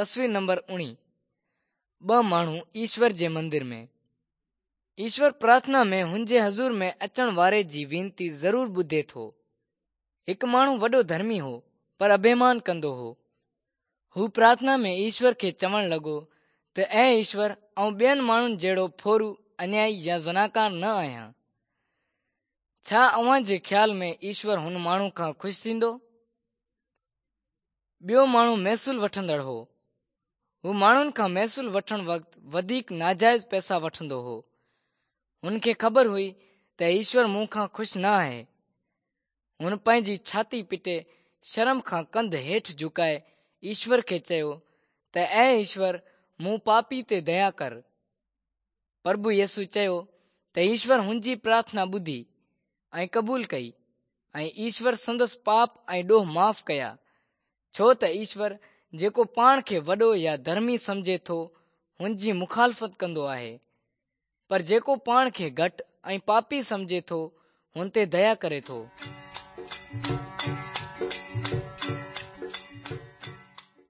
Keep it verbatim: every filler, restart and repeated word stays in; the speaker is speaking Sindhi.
تصوير نمبر اڻويهه. ٻه ماڻهو ايشور جي مندر ۾. ايشور پرارٿنا ۾ هن جي حضور ۾ اچڻ واري جي وينتي ضرور ٻڌي ٿو. هڪ ماڻهو وڏو ڌرمي هو، پر اڀيمان ڪندو هو. هو پرارٿنا ۾ ايشور کي چوڻ لڳو ته اي ايشور، آئون ٻين ماڻهن جهڙو ڦورو، انيائي يا زناڪار نه آهيان. ڇا اوهان جي خيال ۾ ايشور هن ماڻهو کان خوش ٿيندو؟ ٻيو ماڻهو محصول وٺندڙ هو. هو ماڻهن کان محصول وٺڻ وقت وڌيڪ ناجائز پئسا وٺندو هو. هن کي خبر هئي ته ايشور مون کان خوش نه آهي. هن پنهنجي ڇاتي پٽي شرم کان ڪنڌ هيٺ جهڪائي ايشور کي چيو ته اي ايشور، مون پاپي تي ديا ڪر. پرڀو يسوع چيو ته ايشور هن جي پرارٿنا ٻڌي ۽ قبول ڪئي ۽ ايشور سندس پاپ ۽ ڏوهه معاف ڪيا، ڇو ته ايشور جيڪو پاڻ کي وڏو يا ڌرمي سمجهي ٿو هن جي مخالفت ڪندو آهي، پر جيڪو پاڻ کي گهٽ ۽ پاپي سمجهي ٿو هن تي ديا ڪري ٿو.